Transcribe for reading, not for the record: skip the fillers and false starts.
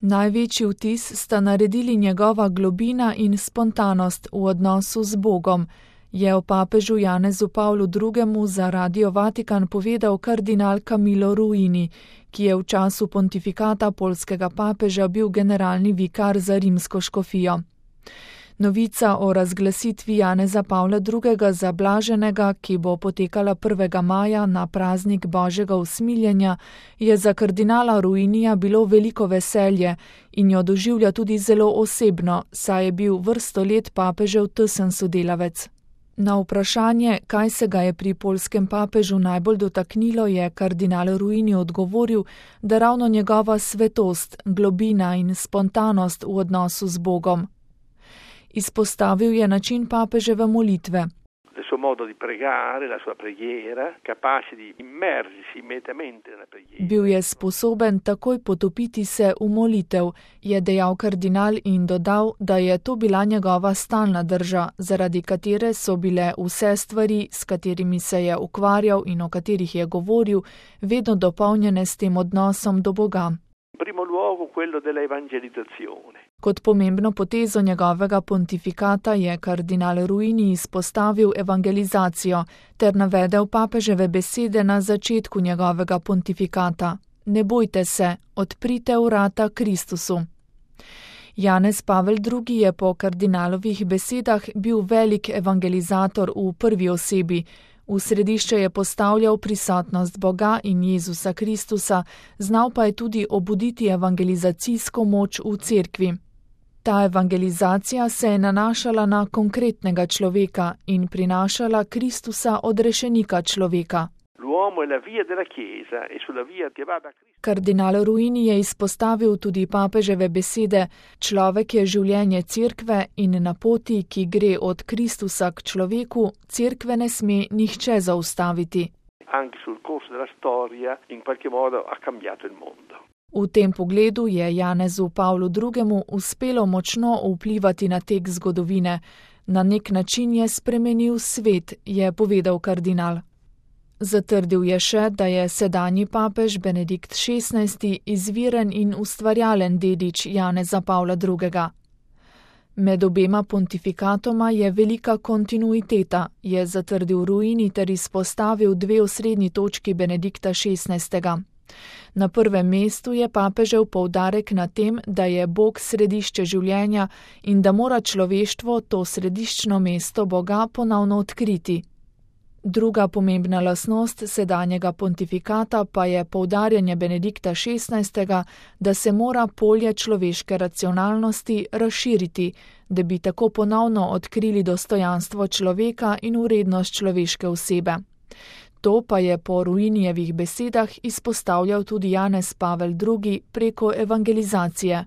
Največji vtis sta naredili njegova globina in spontanost v odnosu z Bogom, je o papežu Janezu Pavlu II. Za Radio Vatikan povedal kardinal Camillo Ruini, ki je v času pontifikata poljskega papeža bil generalni vikar za rimsko škofijo. Novica o razglasitvi Janeza Pavla II. Za blaženega, ki bo potekala 1. maja na praznik Božjega usmiljenja, je za kardinala Ruinija bilo veliko veselje in jo doživlja tudi zelo osebno, saj je bil vrsto let papežev tesen sodelavec. Na vprašanje, kaj se ga je pri poljskem papežu najbolj dotaknilo, je kardinal Ruini odgovoril, da ravno njegova svetost, globina in spontanost v odnosu z Bogom. Izpostavil je način papeževe molitve. Bil je sposoben takoj potopiti se v molitev, je dejal kardinal in dodal, da je to bila njegova stalna drža, zaradi katere so bile vse stvari, s katerimi se je ukvarjal in o katerih je govoril, vedno dopolnjene s tem odnosom do Boga. Kot pomembno potezo njegovega pontifikata je kardinal Ruini izpostavil evangelizacijo ter navedel papeževe besede na začetku njegovega pontifikata. Ne bojte se, odprite vrata Kristusu. Janez Pavel II. Je po kardinalovih besedah bil velik evangelizator v prvi osebi. V središče je postavljal prisotnost Boga in Jezusa Kristusa, znal pa je tudi obuditi evangelizacijsko moč v cerkvi. Ta evangelizacija se je nanašala na konkretnega človeka in prinašala Kristusa odrešenika človeka. Kardinal Ruini je izpostavil tudi papeževe besede: človek je življenje cerkve in na poti, ki gre od Kristusa k človeku, cerkve ne sme nihče zaustaviti. V tem pogledu je Janezu Pavlu II. Uspelo močno vplivati na tek zgodovine. Na nek način je spremenil svet, je povedal kardinal. Zatrdil je še, da je sedanji papež Benedikt XVI. Izviren in ustvarjalen dedič Janeza Pavla II. Med obema pontifikatoma je velika kontinuiteta, je zatrdil Ruini ter izpostavil dve osrednji točki Benedikta XVI. Na prvem mestu je papežev poudarek na tem, da je Bog središče življenja in da mora človeštvo to središčno mesto Boga ponovno odkriti. Druga pomembna lastnost sedanjega pontifikata pa je poudarjanje Benedikta XVI., da se mora polje človeške racionalnosti razširiti, da bi tako ponovno odkrili dostojanstvo človeka in vrednost človeške osebe. To pa je po Ruinijevih besedah izpostavljal tudi Janez Pavel II. Preko evangelizacije.